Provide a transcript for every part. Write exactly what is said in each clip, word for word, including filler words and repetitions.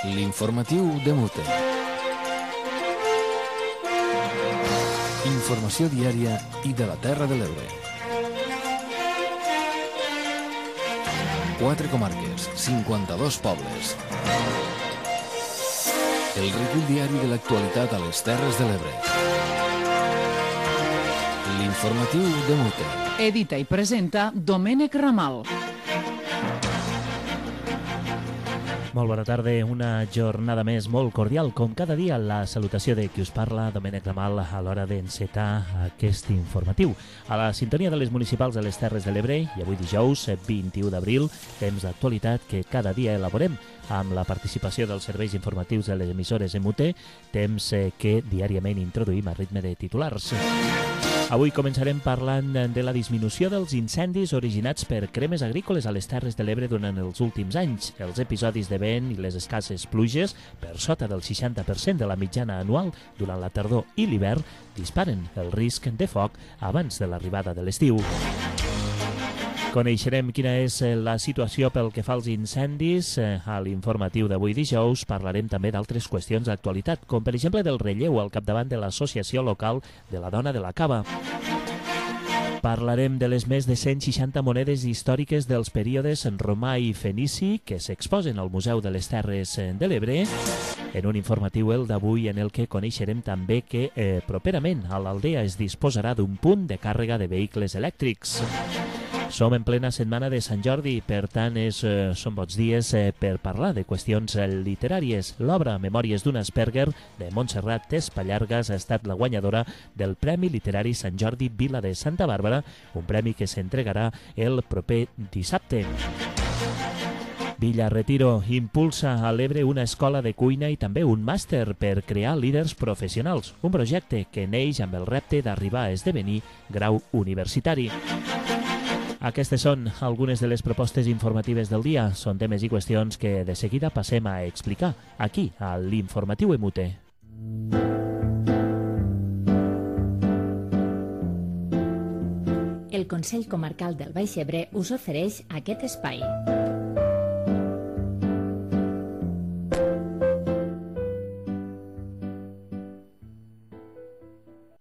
L'informatiu de Mute. Informació diària i de la Terra de l'Ebre. Quatre comarques, cinquanta-dos pobles. El recull diari de l'actualitat a les Terres de l'Ebre. L'informatiu de Mute. Edita i presenta Domènec Ramal. Molt bona tarda, una jornada més molt cordial. Com cada dia, la salutació de qui us parla, Domènec Ramal, a l'hora d'encetar aquest informatiu. A la sintonia de les municipals de les Terres de l'Ebre, i avui dijous, vint-i-u d'abril, temps d'actualitat que cada dia elaborem amb la participació dels serveis informatius de les emissores M U T, temps que diàriament introduïm a ritme de titulars. Avui començarem parlant de la disminució dels incendis originats per cremes agrícoles a les Terres de l'Ebre durant els últims anys. Els episodis de vent i les escasses pluges, per sota del seixanta per cent de la mitjana anual durant la tardor i l'hivern, disparen el risc de foc abans de l'arribada de l'estiu. Coneixerem quina és la situació pel que fa als incendis. A l'informatiu d'avui dijous parlarem també d'altres qüestions d'actualitat, com per exemple del relleu al capdavant de l'Associació Local de la Dona de la Cava. Parlarem de les més de cent seixanta monedes històriques dels períodes romà i fenici que s'exposen al Museu de les Terres de l'Ebre, en un informatiu el d'avui en el que coneixerem també que eh, properament a l'Aldea es disposarà d'un punt de càrrega de vehicles elèctrics. Som en plena setmana de Sant Jordi, per tant és, eh, són bons dies eh, per parlar de qüestions eh, literàries. L'obra Memòries d'un Asperger de Montserrat Espallargas ha estat la guanyadora del Premi Literari Sant Jordi Vila de Santa Bàrbara, un premi que s'entregarà el proper dissabte. Villa Retiro impulsa a l'Ebre una escola de cuina i també un màster per crear líders professionals, un projecte que neix amb el repte d'arribar a esdevenir grau universitari. Aquestes són algunes de les propostes informatives del dia. Són temes i qüestions que de seguida passem a explicar aquí, a l'Informatiu M U T. El Consell Comarcal del Baix Ebre us ofereix aquest espai.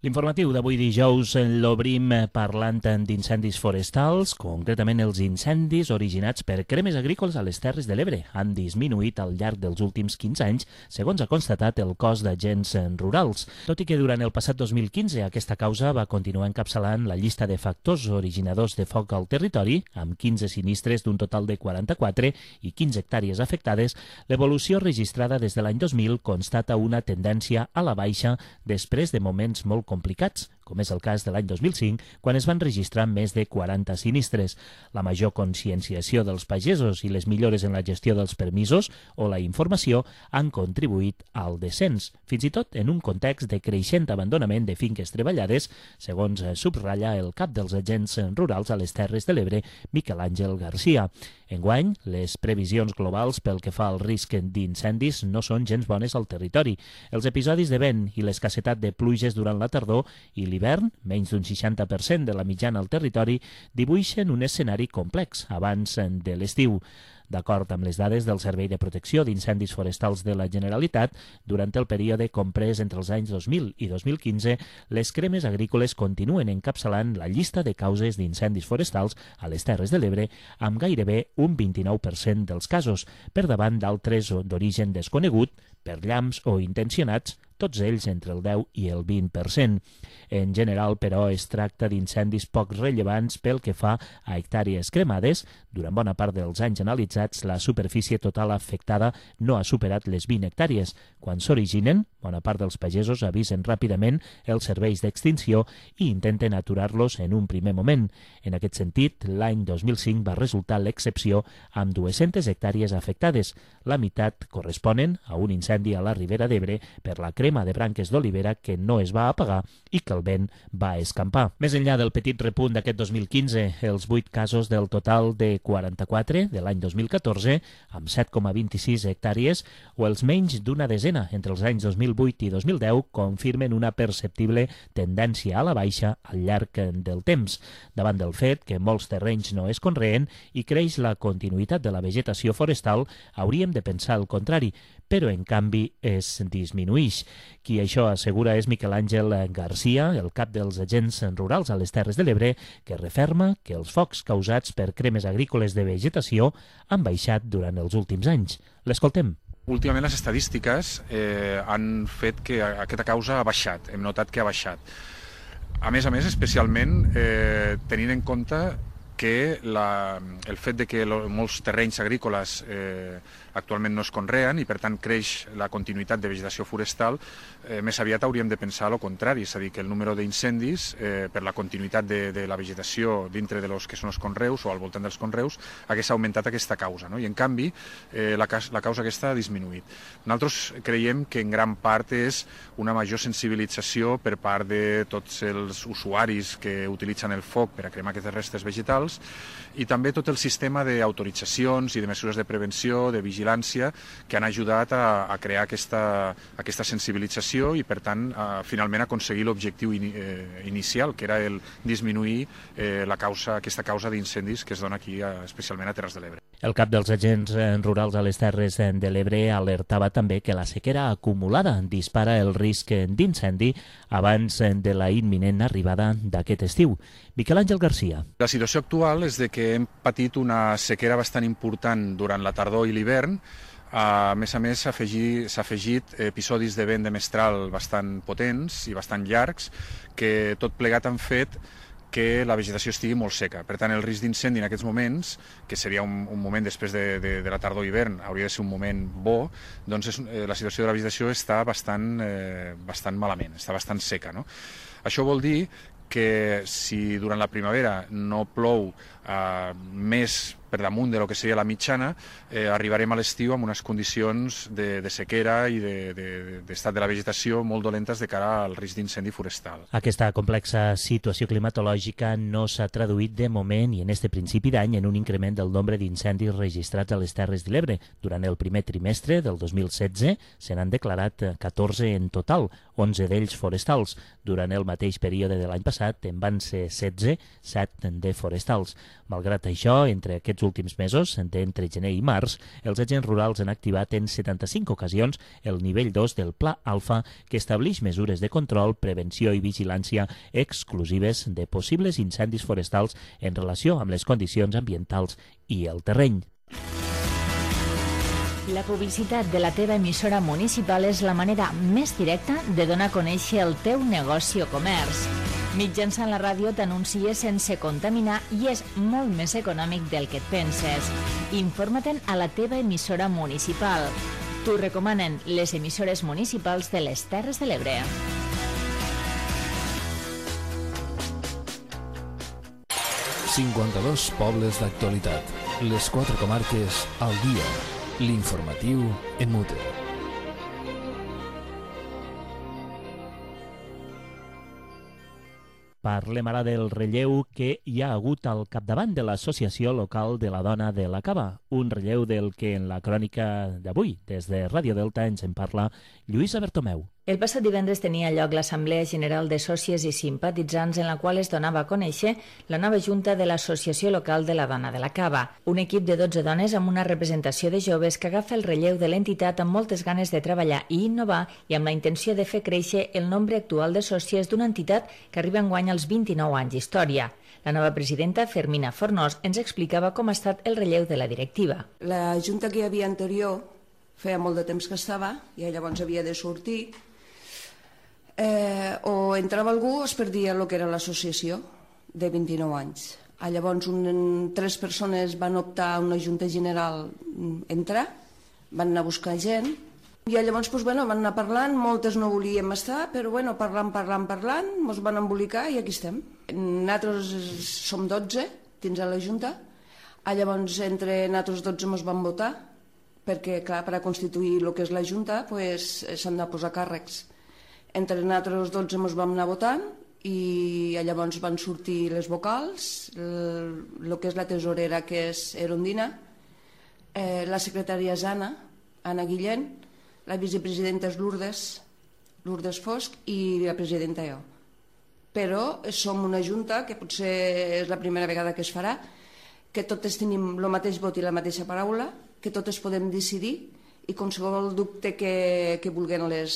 L'informatiu d'avui dijous l'obrim parlant d'incendis forestals, concretament els incendis originats per cremes agrícoles a les Terres de l'Ebre. Han disminuït al llarg dels últims quinze anys, segons ha constatat el cos d'agents rurals. Tot i que durant el passat dos mil quinze aquesta causa va continuar encapçalant la llista de factors originadors de foc al territori, amb quinze sinistres d'un total de quaranta-quatre i quinze hectàrees afectades, l'evolució registrada des de l'any dos mil constata una tendència a la baixa després de moments molt complicats, com és el cas de l'any dos mil cinc, quan es van registrar més de quaranta sinistres. La major conscienciació dels pagesos i les millores en la gestió dels permisos o la informació han contribuït al descens, fins i tot en un context de creixent abandonament de finques treballades, segons subratlla el cap dels agents rurals a les Terres de l'Ebre, Miquel Àngel Garcia. Enguany, les previsions globals pel que fa al risc d'incendis no són gens bones al territori. Els episodis de vent i l'escassetat de pluges durant la tardor i l'hivern, menys d'un seixanta per cent de la mitjana al territori, dibuixen un escenari complex abans de l'estiu. D'acord amb les dades del Servei de Protecció d'Incendis Forestals de la Generalitat, durant el període comprès entre els anys dos mil i dos mil quinze, les cremes agrícoles continuen encapçalant la llista de causes d'incendis forestals a les Terres de l'Ebre amb gairebé un vint-i-nou per cent dels casos, per davant d'altres d'origen desconegut, per llamps o intencionats, tots ells entre el deu i el vint per cent. En general, però, es tracta d'incendis poc rellevants pel que fa a hectàrees cremades. Durant bona part dels anys analitzats, la superfície total afectada no ha superat les vint hectàrees. Quan s'originen, bona part dels pagesos avisen ràpidament els serveis d'extinció i intenten aturar-los en un primer moment. En aquest sentit, l'any dos mil cinc va resultar l'excepció amb dues-centes hectàrees afectades. La meitat corresponen a un incendi a la Ribera d'Ebre per la crema de branques d'olivera que no es va apagar i que el vent va escampar. Més enllà del petit repunt d'aquest dos mil quinze, els vuit casos del total de quaranta-quatre de l'any dos mil catorze, amb set coma vint-i-sis hectàrees, o els menys d'una desena entre els anys dos mil vuit i dos mil deu confirmen una perceptible tendència a la baixa al llarg del temps, davant del fet que molts terrenys no es conreen i creix la continuïtat de la vegetació forestal, hauríem de pensar el contrari, però en canvi es disminueix. Qui això assegura és Miquel Àngel Garcia, el cap dels agents rurals a les Terres de l'Ebre, que referma que els focs causats per cremes agrícoles de vegetació han baixat durant els últims anys. L'escoltem. Últimament les estadístiques eh, han fet que aquesta causa ha baixat, hem notat que ha baixat. A més a més, especialment eh, tenint en compte que la, el fet de que lo, molts terrenys agrícoles eh, actualment no es conreen i per tant creix la continuïtat de vegetació forestal, eh, més aviat hauríem de pensar el contrari, és a dir, que el número d'incendis eh, per la continuïtat de, de la vegetació dintre de los que són els conreus o al voltant dels conreus hagués augmentat aquesta causa, no? I en canvi eh, la, la causa aquesta ha disminuït. Nosaltres creiem que en gran part és una major sensibilització per part de tots els usuaris que utilitzen el foc per a cremar aquestes restes vegetals i també tot el sistema d'autoritzacions i de mesures de prevenció, de vigilància, que han ajudat a, a crear aquesta, aquesta sensibilització i, per tant, a, finalment aconseguir l'objectiu in, eh, inicial, que era el disminuir eh, la causa, aquesta causa d'incendis que es dona aquí, a, especialment a Terres de l'Ebre. El cap dels agents rurals a les Terres de l'Ebre alertava també que la sequera acumulada dispara el risc d'incendi abans de la imminent arribada d'aquest estiu. Miquel Àngel Garcia. La situació actual és de que hem patit una sequera bastant important durant la tardor i l'hivern. A més a més, s'ha afegit, s'ha afegit episodis de vent de mestral bastant potents i bastant llargs, que tot plegat han fet que la vegetació estigui molt seca. Per tant, el risc d'incendi en aquests moments, que seria un, un moment després de, de, de la tardor i hivern, hauria de ser un moment bo, doncs és, eh, la situació de la vegetació està bastant, eh, bastant malament, està bastant seca, no? Això vol dir que si durant la primavera no plou eh, més per damunt de lo que seria la mitjana, eh, arribarem a l'estiu amb unes condicions de, de sequera i d'estat de, de, de la vegetació molt dolentes de cara al risc d'incendi forestal. Aquesta complexa situació climatològica no s'ha traduït de moment i en este principi d'any en un increment del nombre d'incendis registrats a les Terres de l'Ebre. Durant el primer trimestre del dos mil setze se n'han declarat catorze en total, onze d'ells forestals. Durant el mateix període de l'any passat en van ser setze, set de forestals. Malgrat això, entre aquests últims mesos, d'entre gener i març, els agents rurals han activat en setanta-cinc ocasions el nivell dos del Pla Alfa, que estableix mesures de control, prevenció i vigilància exclusives de possibles incendis forestals en relació amb les condicions ambientals i el terreny. La publicitat de la teva emissora municipal és la manera més directa de donar a conèixer el teu negoci o comerç. Mitjançant la ràdio t'anuncies sense contaminar i és molt més econòmic del que et penses. Informa-te'n a la teva emissora municipal. T'ho recomanen les emissores municipals de les Terres de l'Ebre. cinquanta-dos pobles d'actualitat. Les quatre comarques al dia. L'informatiu en mute. Parlem ara del relleu que hi ha hagut al capdavant de l'Associació Local de la Dona de la Cava, un relleu del que en la crònica d'avui, des de Ràdio Delta, ens en parla Lluïsa Bertomeu. El passat divendres tenia lloc l'Assemblea General de Sòcies i Simpatitzants en la qual es donava a conèixer la nova Junta de l'Associació Local de la Dona de la Cava, un equip de dotze dones amb una representació de joves que agafa el relleu de l'entitat amb moltes ganes de treballar i innovar i amb la intenció de fer créixer el nombre actual de sòcies d'una entitat que arriba enguany als vint-i-nou anys d'història. La nova presidenta, Fermina Fornós, ens explicava com ha estat el relleu de la directiva. La Junta que hi havia anterior feia molt de temps que estava i llavors havia de sortir. Eh, o entrava algú o es perdia el que era l'associació de vint-i-nou anys. Ah, llavors un, tres persones van optar a una junta general entrar, van anar a buscar gent i llavors doncs, bueno, van anar parlant, moltes no volíem estar, però bueno, parlant, parlant, parlant, ens van embolicar i aquí estem. Nosaltres som dotze dins de la junta, ah, llavors entre nosaltres dotze ens van votar perquè clar, per a constituir el que és la junta pues, s'han de posar càrrecs. Entre nosaltres dotze ens vam anar votant i llavors van sortir les vocals, el, el que és la tesorera, que és Erondina, eh, la secretària és Anna, Anna Guillén, la vicepresidenta és Lourdes Lourdes Fosc i la presidenta jo. Però som una junta, que potser és la primera vegada que es farà, que totes tenim el mateix vot i la mateixa paraula, que totes podem decidir i qualsevol dubte que, que vulguin les,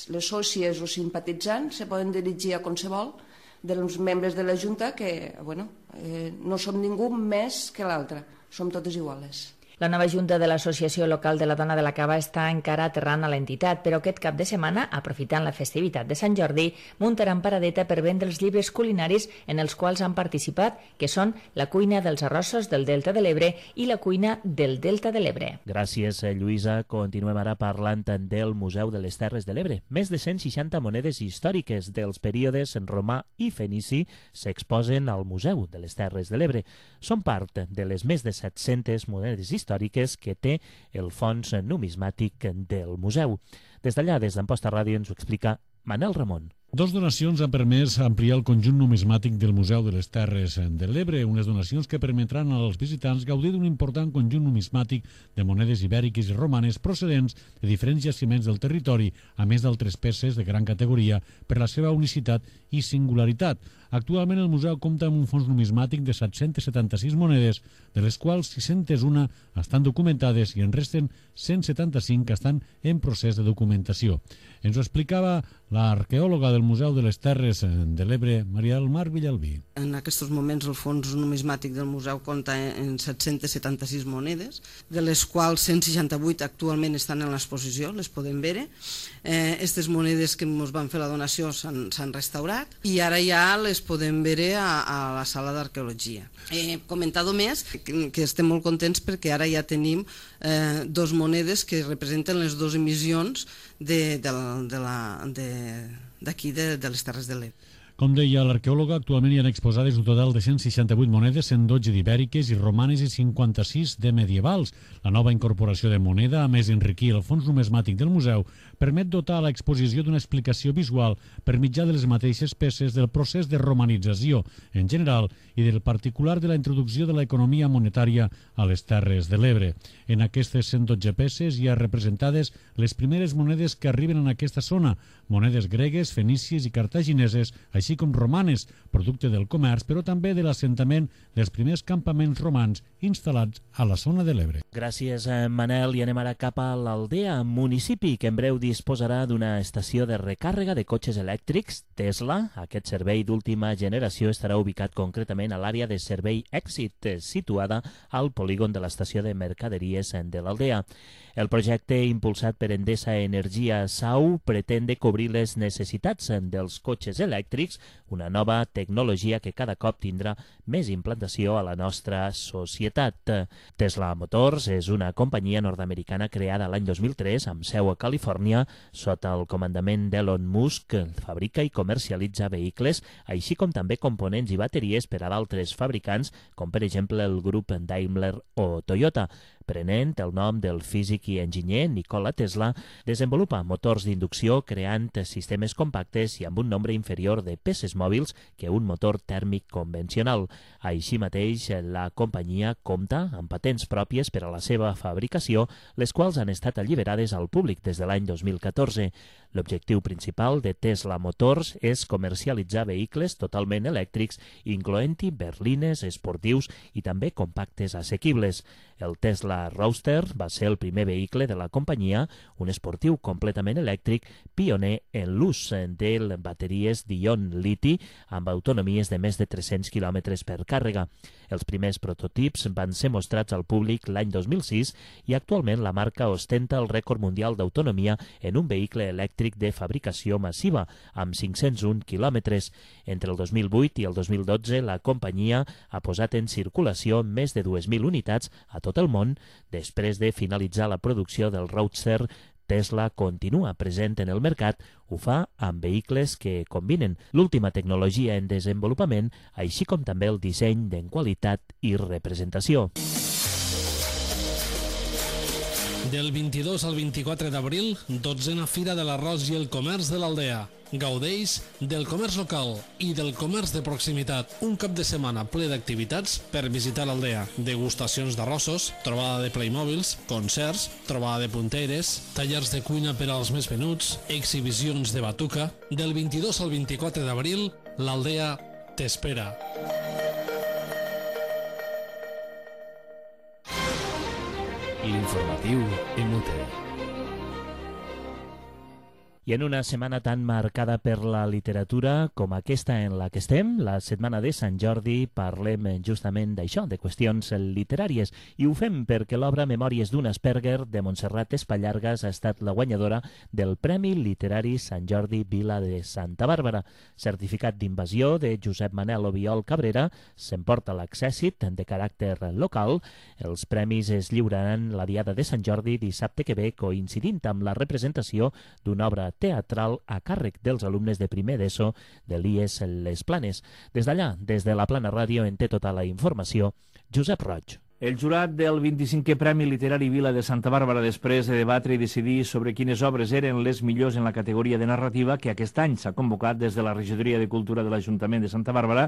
les sòcies o simpatitzants se poden dirigir a qualsevol dels membres de la Junta que, bueno, eh, no som ningú més que l'altre, som totes iguales. La nova Junta de l'Associació Local de la Dona de la Cava està encara aterrant a l'entitat, però aquest cap de setmana, aprofitant la festivitat de Sant Jordi, muntaran paradeta per vendre els llibres culinaris en els quals han participat, que són la cuina dels arrossos del Delta de l'Ebre i la cuina del Delta de l'Ebre. Gràcies, Lluïsa. Continuem ara parlant del Museu de les Terres de l'Ebre. Més de cent seixanta monedes històriques dels períodes romà i fenici s'exposen al Museu de les Terres de l'Ebre. Són part de les més de set-centes monedes històriques històriques que té el fons numismàtic del museu. Des d'allà, des d'Amposta Ràdio, ens ho explica Manel Ramon. Dos donacions han permès ampliar el conjunt numismàtic del Museu de les Terres de l'Ebre, unes donacions que permetran als visitants gaudir d'un important conjunt numismàtic de monedes ibèriques i romanes procedents de diferents jaciments del territori, a més d'altres peces de gran categoria per la seva unicitat i singularitat. Actualment el museu compta amb un fons numismàtic de set-cents setanta-sis monedes, de les quals sis-centes una estan documentades i en resten cent setanta-cinc que estan en procés de documentació. Ens ho explicava l'arqueòloga del Museu de les Terres de l'Ebre, Maria del Mar Villalbí. En aquests moments el fons numismàtic del museu compta en set-cents setanta-sis monedes, de les quals cent seixanta-vuit actualment estan en l'exposició, les podem veure. Aquestes eh, monedes que ens van fer la donació s'han restaurat i ara ja les podem veure a, a la sala d'arqueologia. He comentat més que, que estem molt contents perquè ara ja tenim eh, dos monedes que representen les dues emissions de, de, de la, de, d'aquí de, de les Terres de l'Ebre. Com deia l'arqueòloga, actualment hi ha exposades un total de cent seixanta-vuit monedes, cent dotze d'ibèriques i romanes i cinquanta-sis de medievals. La nova incorporació de moneda, a més d'enriquir el fons numismàtic del museu, permet dotar a l'exposició d'una explicació visual per mitjà de les mateixes peces del procés de romanització en general i del particular de la introducció de l'economia monetària a les Terres de l'Ebre. En aquestes cent dotze peces hi ha representades les primeres monedes que arriben en aquesta zona, monedes gregues, fenícies i cartagineses, així com romanes, producte del comerç, però també de l'assentament dels primers campaments romans instal·lats a la zona de l'Ebre. Gràcies, Manel, i anem ara cap a l'Aldea, municipi que en breu disposarà d'una estació de recàrrega de cotxes elèctrics Tesla. Aquest servei d'última generació estarà ubicat concretament a l'àrea de servei Èxit, situada al polígon de l'estació de mercaderies de l'Aldea. El projecte, impulsat per Endesa Energia Sau, pretén de cobrir les necessitats dels cotxes elèctrics, una nova tecnologia que cada cop tindrà més implantació a la nostra societat. Tesla Motors és una companyia nord-americana creada l'any dos mil tres amb seu a Califòrnia sota el comandament d'Elon Musk. Fabrica i comercialitza vehicles, així com també components i bateries per a d'altres fabricants, com per exemple el grup Daimler o Toyota. Prenent el nom del físic i enginyer Nikola Tesla, desenvolupa motors d'inducció creant sistemes compactes i amb un nombre inferior de peces mòbils que un motor tèrmic convencional. Així mateix, la companyia compta amb patents pròpies per a la seva fabricació, les quals han estat alliberades al públic des de l'any dos mil catorze. L'objectiu principal de Tesla Motors és comercialitzar vehicles totalment elèctrics, incloent-hi berlines, esportius i també compactes assequibles. El Tesla Roadster va ser el primer vehicle de la companyia, un esportiu completament elèctric, pioner en l'ús de bateries d'ion liti amb autonomies de més de tres-cents quilòmetres per càrrega. Els primers prototips van ser mostrats al públic l'any dos mil sis i actualment la marca ostenta el rècord mundial d'autonomia en un vehicle elèctric de fabricació massiva, amb cinc-cents un quilòmetres. Entre el dos mil vuit i el dos mil dotze, la companyia ha posat en circulació més de dues mil unitats a tot el món. Després de finalitzar la producció del Roadster, Tesla continua present en el mercat, ho fa amb vehicles que combinen l'última tecnologia en desenvolupament, així com també el disseny en qualitat i representació. Del vint-i-dos al vint-i-quatre d'abril, dotzena Fira de l'Arròs i el Comerç de l'Aldea. Gaudeix del comerç local i del comerç de proximitat. Un cap de setmana ple d'activitats per visitar l'Aldea. Degustacions d'arrossos, trobada de Playmobils, concerts, trobada de punteres, tallers de cuina per als més menuts, exhibicions de batuca. Del vint-i-dos al vint-i-quatre d'abril, l'Aldea t'espera. L'informatiu M T. I en una setmana tan marcada per la literatura com aquesta en la que estem, la setmana de Sant Jordi, parlem justament d'això, de qüestions literàries, i ho fem perquè l'obra Memòries d'un Asperger de Montserrat Espallargas ha estat la guanyadora del Premi Literari Sant Jordi Vila de Santa Bàrbara. Certificat d'invasió de Josep Manel Obiol Cabrera, s'emporta l'accèssit de caràcter local. Els premis es lliuraran la diada de Sant Jordi dissabte que ve, coincidint amb la representació d'una obra teatral a càrrec dels alumnes de primer d'ESO de l'I E S Les Planes. Des d'allà, des de la Plana Ràdio, en té tota la informació Josep Roig. El jurat del vint-i-cinquè Premi Literari Vila de Santa Bàrbara, després de debatre i decidir sobre quines obres eren les millors en la categoria de narrativa, que aquest any s'ha convocat des de la Regidoria de Cultura de l'Ajuntament de Santa Bàrbara,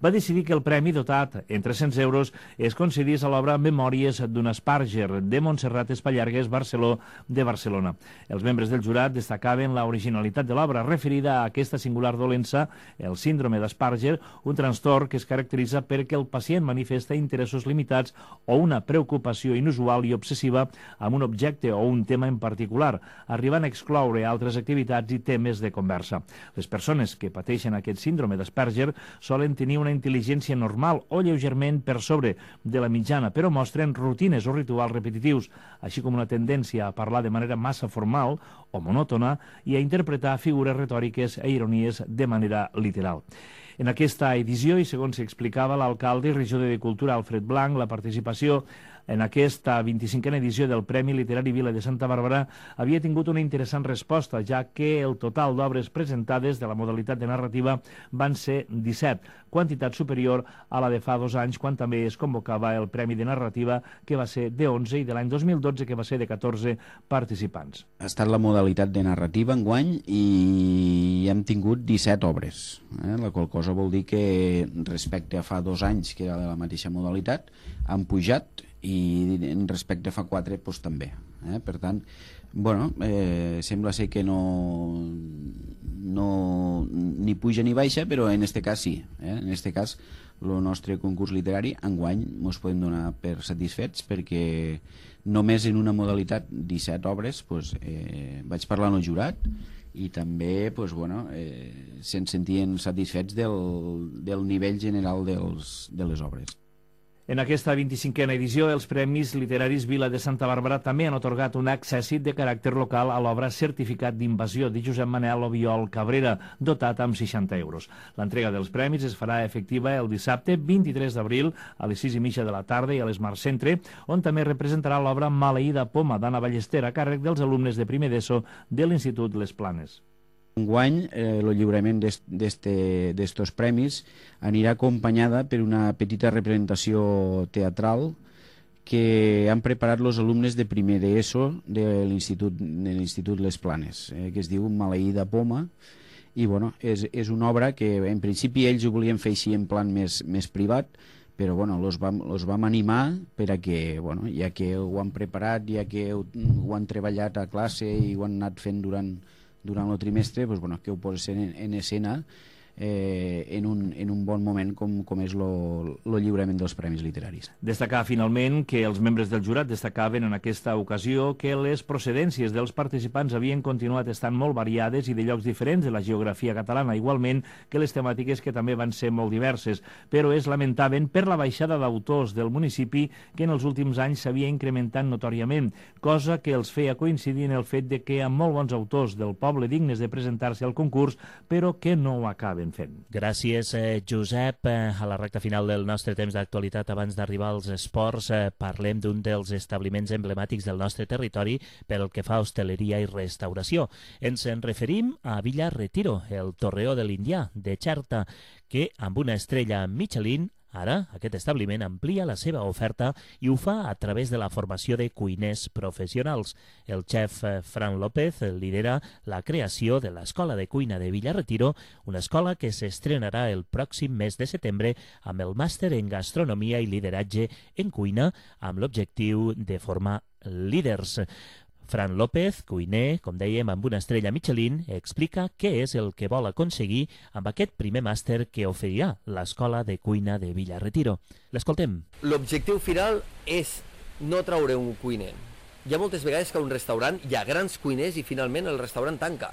va decidir que el premi, dotat en tres-cents euros, es concedís a l'obra Memòries d'un Asperger de Montserrat Espallargas, Barceló de Barcelona. Els membres del jurat destacaven la originalitat de l'obra referida a aquesta singular dolença, el síndrome d'Asperger, un trastorn que es caracteritza perquè el pacient manifesta interessos limitats o una preocupació inusual i obsessiva amb un objecte o un tema en particular, arribant a excloure altres activitats i temes de conversa. Les persones que pateixen aquest síndrome d'Asperger solen tenir una intel·ligència normal o lleugerament per sobre de la mitjana, però mostren rutines o rituals repetitius, així com una tendència a parlar de manera massa formal o monòtona i a interpretar figures retòriques i ironies de manera literal. En aquesta edició, i segons s'explicava l'alcalde i regidor de Cultura Alfred Blanc, la participació en aquesta vint-i-cinquena edició del Premi Literari Vila de Santa Bàrbara havia tingut una interessant resposta, ja que el total d'obres presentades de la modalitat de narrativa van ser disset, quantitat superior a la de fa dos anys, quan també es convocava el Premi de Narrativa, que va ser de onze, i de l'any dos mil dotze, que va ser de catorze participants. Ha estat la modalitat de narrativa enguany i hem tingut disset obres, eh? La qual cosa vol dir que respecte a fa dos anys, que era de la mateixa modalitat, han pujat, i respecte a fa quatre doncs, també. Eh? Per tant, bueno, eh, sembla ser que no, no ni puja ni baixa, però en este cas sí. Eh? En este cas, el nostre concurs literari enguany ens podem donar per satisfets, perquè només en una modalitat disset obres doncs, eh, vaig parlar amb el jurat i també doncs, bueno, eh, se'n sentien satisfets del, del nivell general dels, de les obres. En aquesta vint-i-cinquena edició, els Premis Literaris Vila de Santa Bàrbara també han atorgat un accèssit de caràcter local a l'obra Certificat d'Invasió de Josep Manel Obiol Cabrera, dotat amb seixanta euros. L'entrega dels premis es farà efectiva el dissabte vint-i-tres d'abril a les sis i mitja de la tarda i a l'Smart Centre, on també representarà l'obra Maleïda Poma d'Anna Ballester a càrrec dels alumnes de primer d'ESO de l'Institut Les Planes. Enguany, eh, el lliurament d'estos premis anirà acompanyada per una petita representació teatral que han preparat els alumnes de primer d'ESO de l'Institut Les Planes, eh, que es diu Maleïda Poma, i bueno, és, és una obra que en principi ells ho volien fer així en plan més, més privat, però bueno, los vam, los vam animar per a que, bueno, ja que ho han preparat, ja que ho, ho han treballat a classe i ho han anat fent durant durant el trimestre, doncs, bueno, que ho posen en, en escena eh, en, un, en un bon moment com, com és el lliurament dels Premis Literaris. Destacar finalment que els membres del jurat destacaven en aquesta ocasió que les procedències dels participants havien continuat estant molt variades i de llocs diferents de la geografia catalana, igualment que les temàtiques, que també van ser molt diverses, però es lamentaven per la baixada d'autors del municipi que en els últims anys s'havia incrementat notòriament, cosa que els feia coincidir en el fet de que hi ha molt bons autors del poble dignes de presentar-se al concurs, però que no ho acaben fent. Gràcies, eh, Josep. Eh, a la recta final del nostre temps d'actualitat, abans d'arribar als esports, eh, parlem d'un dels establiments emblemàtics del nostre territori pel que fa a hostaleria i restauració. Ens en referim a Villa Retiro, el Torreó de l'Indià, de Xerta, que amb una estrella Michelin Ara, aquest establiment amplia la seva oferta i ho fa a través de la formació de cuiners professionals. El xef Fran López lidera la creació de l'Escola de Cuina de Villarretiro, una escola que s'estrenarà el pròxim mes de setembre amb el màster en gastronomia i lideratge en cuina, amb l'objectiu de formar líders. Fran López, cuiner, com dèiem, amb una estrella Michelin, explica què és el que vol aconseguir amb aquest primer màster que oferirà l'Escola de Cuina de Villarretiro. L'escoltem. L'objectiu final és no traure un cuiner. Hi ha moltes vegades que a un restaurant hi ha grans cuiners i finalment el restaurant tanca.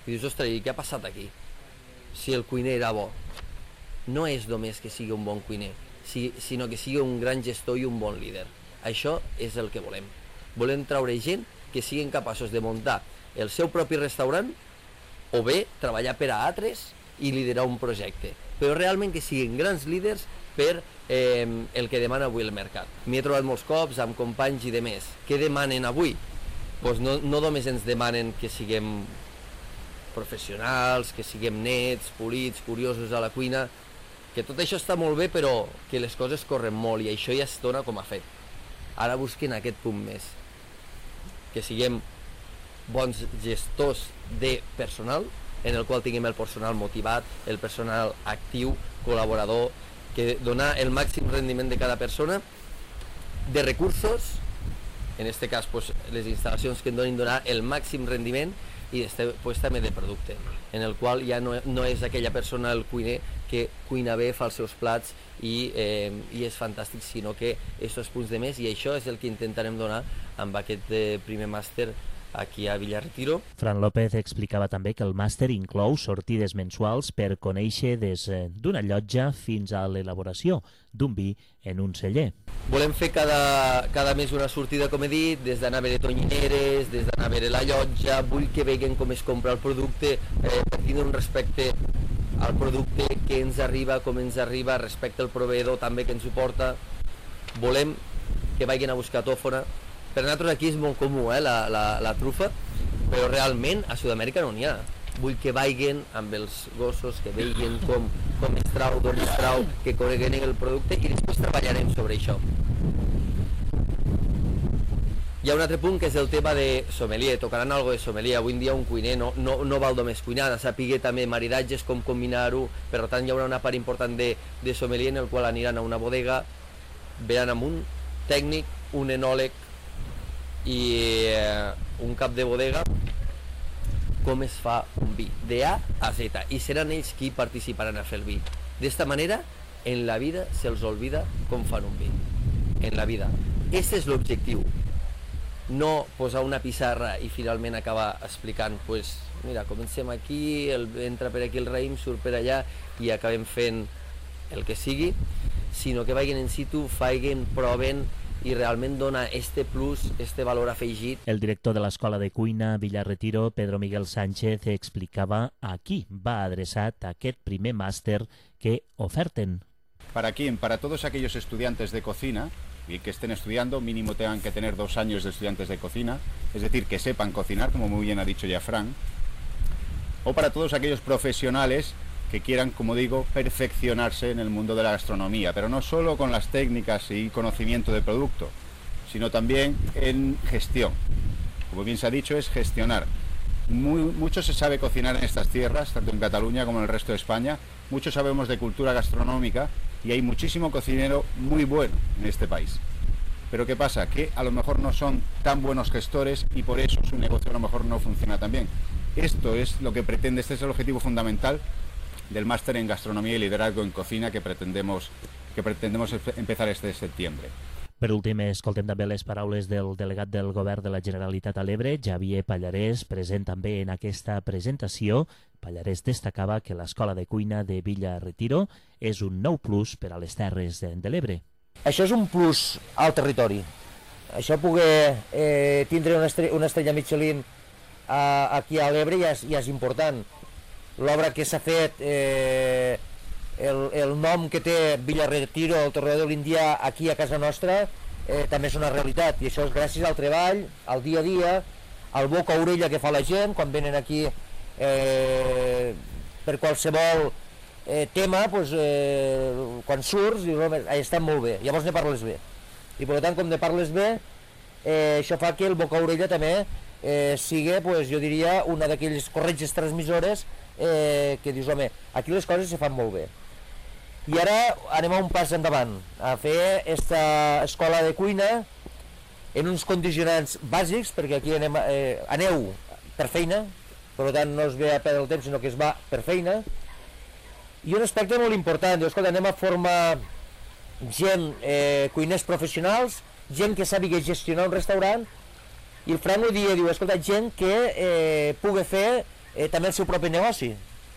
I dius, ostres, què ha passat aquí? Si el cuiner era bo. No és només que sigui un bon cuiner, sinó que sigui un gran gestor i un bon líder. Això és el que volem. Volem traure gent que siguin capaços de muntar el seu propi restaurant o bé treballar per a altres i liderar un projecte, però realment que siguin grans líders per eh, el que demana avui el mercat. M'hi he trobat molts cops amb companys i de més. Què demanen avui? Pues no, no només ens demanen que siguem professionals, que siguem nets, polits, curiosos a la cuina, que tot això està molt bé, però que les coses corren molt i això ja es dona com a fet. Ara busquen aquest punt més, que siguem bons gestors de personal, en el qual tinguem el personal motivat, el personal actiu, col·laborador, que donar el màxim rendiment de cada persona, de recursos, en aquest cas pues, les instal·lacions que en donin donar el màxim rendiment, i després també de producte, en el qual ja no, no és aquella persona, el cuiner, que cuina bé, fa els seus plats i, eh, i és fantàstic, sinó que aquests punts de més, i això és el que intentarem donar amb aquest eh, primer màster aquí a Villarretiro. Fran López explicava també que el màster inclou sortides mensuals per conèixer des d'una llotja fins a l'elaboració d'un vi en un celler. Volem fer cada, cada mes una sortida, com he dit, des d'anar a veure tonyineres, des d'anar a veure la llotja, vull que veguen com es compra el producte, eh, per tindre un respecte al producte, que ens arriba, com ens arriba, respecte al proveïdor també que ens ho porta. Volem que vagin a buscar tòfona. Per nosaltres aquí és molt comú, eh, la, la, la trufa, però realment a Sud-amèrica no n'hi ha. Vull que vagin amb els gossos, que vegin com, com es trau, d'on es trau, que coneguin el producte i després treballarem sobre això. Hi ha un altre punt que és el tema de sommelier, tocaran algo de sommelier. Avui en dia un cuiner no, no, no val només cuinar, ha de saber també maridatges, com combinar-ho, per tant hi haurà una part important de, de sommelier en el qual aniran a una bodega, veran amb un tècnic, un enòleg i eh, un cap de bodega com es fa un vi, de A a Z, i seran ells qui participaran a fer el vi. D'esta manera, en la vida se'ls olvida com fan un vi. En la vida. Aquest és l'objectiu. No posar una pissarra i finalment acabar explicant, pues, mira, comencem aquí, el, entra per aquí el raïm, surt per allà i acabem fent el que sigui, sinó que vagin en situ, faiguen, proven i realment dona este plus, este valor afegit. El director de l'Escola de Cuina Villarretiro, Pedro Miguel Sánchez, explicava a qui va adreçat aquest primer màster que oferten. ¿Para quién? Para todos aquellos estudiantes de cocina y que estén estudiando, mínimo tengan que tener dos años de estudiantes de cocina, es decir, que sepan cocinar, como muy bien ha dicho ya Fran, o para todos aquellos profesionales que quieran, como digo, perfeccionarse en el mundo de la gastronomía, pero no solo con las técnicas y conocimiento de producto, sino también en gestión. Como bien se ha dicho, es gestionar. Muy, mucho se sabe cocinar en estas tierras, tanto en Cataluña como en el resto de España, mucho sabemos de cultura gastronómica y hay muchísimo cocinero muy bueno en este país. Pero ¿qué pasa? Que a lo mejor no son tan buenos gestores y por eso su negocio a lo mejor no funciona tan bien. Esto es lo que pretende, este es el objetivo fundamental del máster en gastronomía y liderazgo en cocina que pretendemos, que pretendemos empezar este septiembre. Per últim, escoltem també les paraules del delegat del Govern de la Generalitat a l'Ebre, Xavier Pallarès, present també en aquesta presentació. Pallarès destacava que l'Escola de Cuina de Villarretiro és un nou plus per a les Terres de l'Ebre. Això és un plus al territori. Això poder eh, tindre una estrella, una estrella Michelin a, aquí a l'Ebre ja, ja és important. L'obra que s'ha fet, eh, el, el nom que té Villarretiro, el Torreó de l'Índia, aquí a casa nostra, eh, també és una realitat. I això és gràcies al treball, al dia a dia, al boca a orella que fa la gent quan venen aquí eh, per qualsevol eh, tema, pues, eh, quan surts, dius, home, ha estat molt bé, llavors ne parles bé. I per tant, com ne parles bé, eh, això fa que el boca-orella també eh, sigui, pues, jo diria, una d'aquelles corretges transmissores eh, que dius, home, aquí les coses se fan molt bé. I ara anem a un pas endavant, a fer aquesta escola de cuina en uns condicionants bàsics, perquè aquí anem, eh, aneu per feina, per tant no es ve a perdre el temps, sinó que es va per feina. I un aspecte molt important, diu, escolta, anem a formar gent, eh, cuiners professionals, gent que sàpiga gestionar un restaurant, i el Frank ho dia, diu, escolta, gent que eh, pugui fer eh, també el seu propi negoci.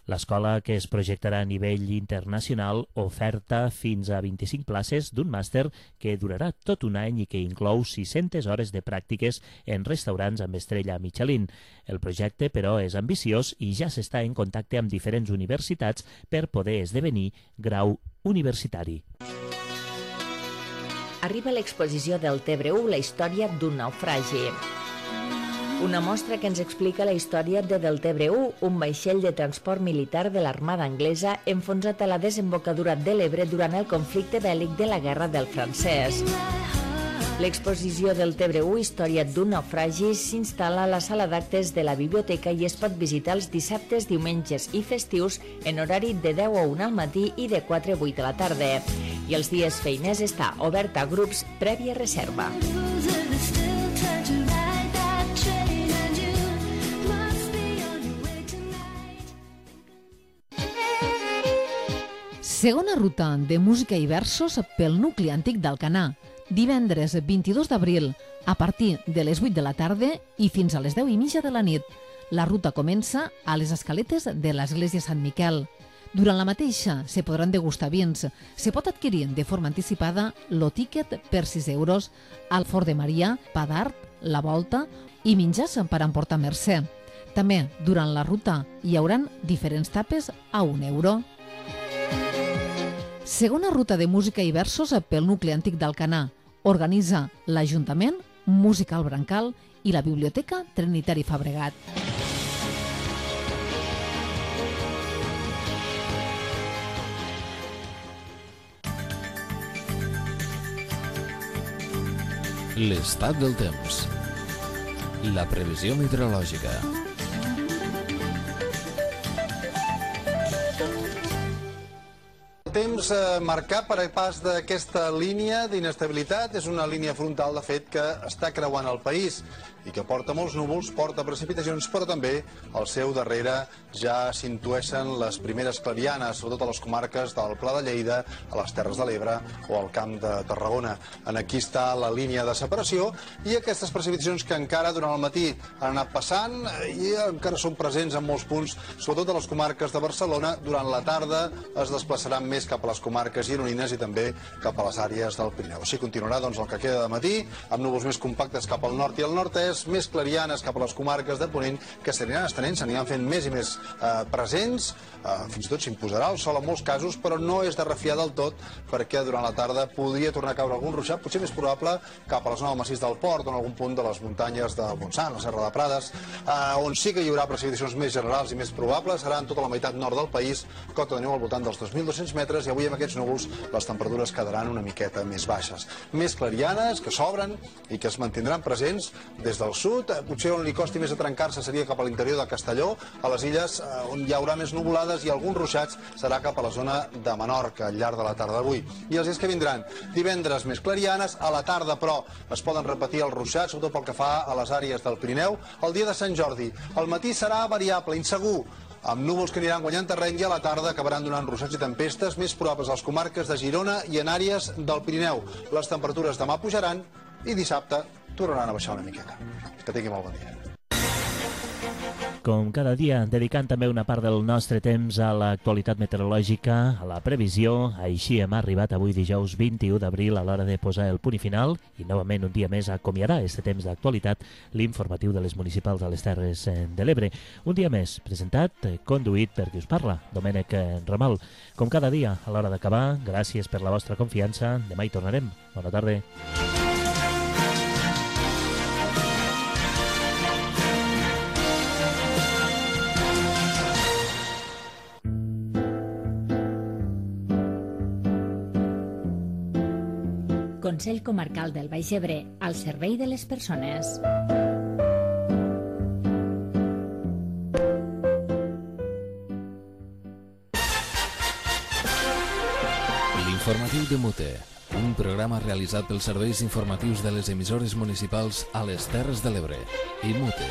L'escola, que es projectarà a nivell internacional, oferta fins a vint-i-cinc places d'un màster que durarà tot un any i que inclou sis-centes hores de pràctiques en restaurants amb estrella Michelin. El projecte, però, és ambiciós i ja s'està en contacte amb diferents universitats per poder esdevenir grau universitari. Arriba l'exposició del Tebre u, la història d'un naufragi. Una mostra que ens explica la història de Del Tebre u, un vaixell de transport militar de l'Armada anglesa enfonsat a la desembocadura de l'Ebre durant el conflicte bèl·lic de la Guerra del Francès. L'exposició del Tebre u, història d'un naufragi, s'instal·la a la sala d'actes de la biblioteca i es pot visitar els dissabtes, diumenges i festius en horari de deu a una al matí i de quatre a vuit a la tarda. I els dies feiners està obert a grups prèvia reserva. Segona ruta de música i versos pel nucli antic d'Alcanar. Divendres vint-i-dos d'abril, a partir de les vuit de la tarda i fins a les deu i mitja de la nit. La ruta comença a les escaletes de l'església Sant Miquel. Durant la mateixa se podran degustar vins. Se pot adquirir de forma anticipada lo tíquet per sis euros, al Fort de Maria, pa d'art, la volta i menjars per emportar a Mercè. També, durant la ruta, hi hauran diferents tapes a un euro. Segona ruta de música i versos pel nucli antic d'Alcanar. Organitza l'Ajuntament, Música al Brancal i la Biblioteca Trinitari Fabregat. L'estat del temps. La previsió meteorològica. Temps eh, marcat per pas d'aquesta línia d'inestabilitat. És una línia frontal, de fet, que està creuant el país i que porta molts núvols, porta precipitacions, però també al seu darrere ja s'intueixen les primeres clarianes, sobretot a les comarques del Pla de Lleida, a les Terres de l'Ebre o al Camp de Tarragona. En aquí està la línia de separació i aquestes precipitacions que encara durant el matí han anat passant i encara són presents en molts punts, sobretot a les comarques de Barcelona. Durant la tarda es desplaçaran més cap a les comarques gironines i també cap a les àrees del Pirineu. Així continuarà doncs, el que queda de matí, amb núvols més compactes cap al nord i al nord-est, més clarianes cap a les comarques de Ponent, que s'aniran estenent, s'aniran fent més i més eh, presents, eh, fins i tot s'imposarà el sol en molts casos, però no és de refiar del tot, perquè durant la tarda podria tornar a caure algun ruixat, potser més probable cap a la zona del massís del Port o en algun punt de les muntanyes de Montsant, la Serra de Prades, eh, on sí que hi haurà precipitacions més generals i més probables, serà en tota la meitat nord del país, cota de neu al voltant dels dos mil dos-cents metres, i avui amb aquests núvols les temperatures quedaran una miqueta més baixes. Més clarianes, que s'obren i que es mantindran presents des del sud. Potser on li costi més a trencar-se seria cap a l'interior de Castelló, a les illes on hi haurà més nuvolades i alguns ruixats serà cap a la zona de Menorca al llarg de la tarda d'avui. I els dies que vindran, divendres més clarianes, a la tarda però es poden repetir els ruixats, sobretot pel que fa a les àrees del Pirineu. El dia de Sant Jordi, el matí serà variable, insegur, amb núvols que aniran guanyant terreny i a la tarda acabaran donant ruixats i tempestes més probables a les comarques de Girona i en àrees del Pirineu. Les temperatures demà pujaran i dissabte tornaran a baixar una miqueta. Que tingui molt bon dia. Com cada dia, dedicant també una part del nostre temps a l'actualitat meteorològica, a la previsió. Així hem arribat avui dijous vint-i-u d'abril a l'hora de posar el punt i final i novament un dia més acomiadarà este temps d'actualitat l'informatiu de les municipals a les Terres de l'Ebre. Un dia més presentat, conduït per qui us parla, Domènec Ramal. Com cada dia, a l'hora d'acabar, gràcies per la vostra confiança. Demà hi tornarem. Bona tarda. Consell Comarcal del Baix Ebre, al servei de les persones. L'informatiu de Mute, un programa realitzat pels serveis informatius de les emissores municipals a les Terres de l'Ebre i Mute.